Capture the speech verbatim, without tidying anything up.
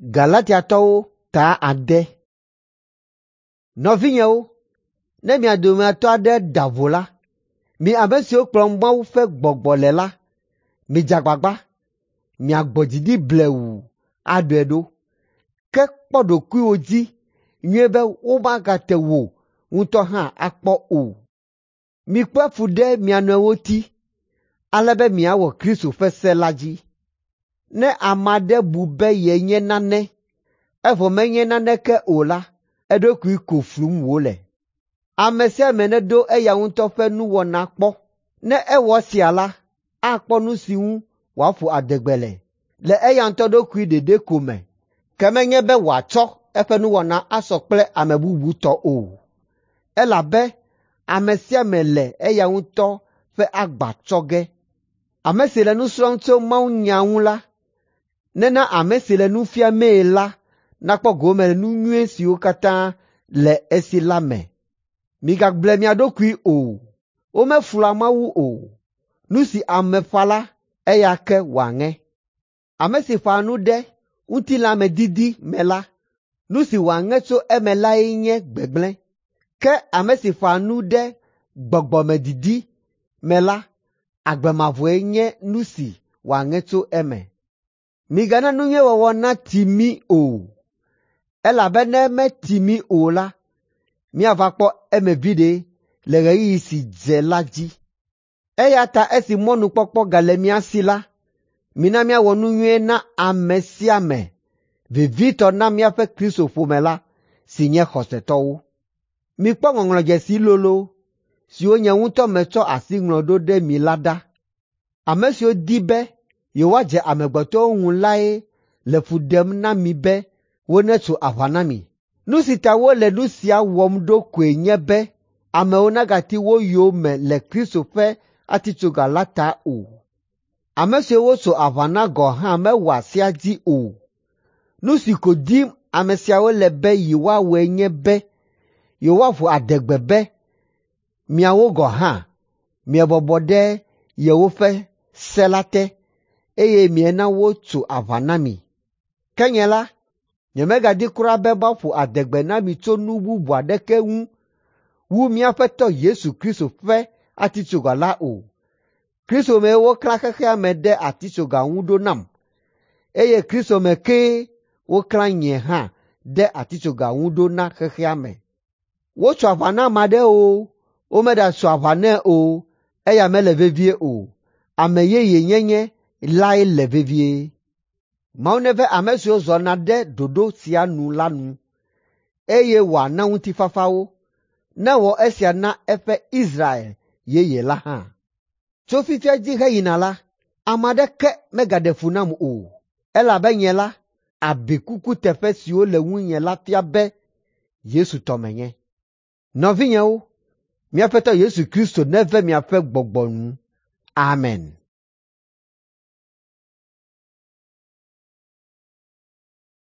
Galatiatɔwo ta ade. Nɔvinyewo, ne mia dometɔ aɖe da vo la, mi ame siwo kplɔm Mawu ƒe Gbɔgbɔ le la, midze agbagba miagbɔ dzi ɖi blewu aɖɔe ɖo. Ke kpɔ ɖokuiwò dzi nyuie be womagate wò ŋutɔ hã akpɔ o. Mikpe fu ɖe mia nɔewo ti, ale be miawɔ Kristo ƒe se la dzi. Ne ame aɖe bu be yenye nane, evɔ menye naneke o la, eɖokui ko flum wòle. Ame sia ame neɖo eya ŋutɔ ƒe nuwɔna kpɔ. Ne ewɔ esia la, akpɔ nu si ŋu wòaƒo adegbe le le eya ŋutɔ ɖokui ɖeɖe ko me, ke menye be wòatsɔ eƒe nuwɔna asɔ kple ame bubu tɔ o. Elabe ame sia ame le eya ŋutɔ ƒe agba tsɔ ge. Ame si le nu srɔ̃m tso mawunya ŋu la, nena ame si le nu fiamee la nakpɔ gome le nu nyui siwo katã le esi la me. Migable mia ɖokui o. Womeflua Mawu o. Nu si ame ƒã la, eya ke wòaŋe. Ame si ƒã nu ɖe ŋutilãmedidi me la, nu si wòaŋe tso eme lae nye gbegblẽ. Ke ame si ƒã nu ɖe gbɔgbɔmedidi me la, agbe mavɔe nye nu si wòaŋe tso eme. Migana nu nyui wɔwɔ nati mí o, elabe ne meti mí o la, míava kpɔ eme viɖe le ɣeyiɣi si dze la dzi. Eya ta esi mɔnukpɔkpɔ gale mía si la, mina míawɔ nu nyui na ame sia ame, vevitɔ na míaƒe Kristo ƒome la si nye xɔsetɔwo. Mikpɔ ŋɔŋlɔdzesi lolo siwo nye ŋutɔ metsɔ asi ŋlɔ ɖo ɖe mi la ɖa. Ame siwo di be yewoadze amegbetɔwo ŋu lae le fu ɖem na mi be wonetso aʋa na mi. Nu si ta wole nu sia wɔm ɖo koe nye be amewo nagati wo yome le Kristo ƒe atitsoga la ta o. Ame siwo wotso aʋa na gɔ̃ hã mewɔa sea dzi o. Nu si ko dim ame siawo le be yewoawɔe nye be yewoaƒo adegbe be miawo gɔ̃ hã miebɔbɔ ɖe yewoƒe se la te eye miena wotso aʋa na mi. Ke nye la, nyemegadi kura be maƒo adegbe na mi tso nu bubu aɖeke ŋu wu mía Aƒetɔ Yesu Kristo ƒe atitsoga la o. Kristo mee woklã xexea me ɖe atitsoga ŋu ɖo nam, eye Kristo me kee woklã nye hã ɖe atitsoga ŋu ɖo na xexea me. Wotso aʋa na ame aɖewo, womeɖatso aʋa nɛ o, eya mele vevie o. Ame yeye nyenye lae le vevie. Mawu neve ame siwo zɔna ɖe ɖoɖo sia nu la nu, eye wòana ŋutifafa wo. Newɔ esia na eƒe Israel yeye la hã. Tso fifia dzi heyina la, ame aɖeke megaɖe fu nam o, elabe nye la, abikukuteƒe siwo le ŋunye la fia be Yesu tɔ menye. Nɔvinyewo, mía Aƒetɔ Yesu Kristo neve miaƒe gbɔgbɔ nu. Amen.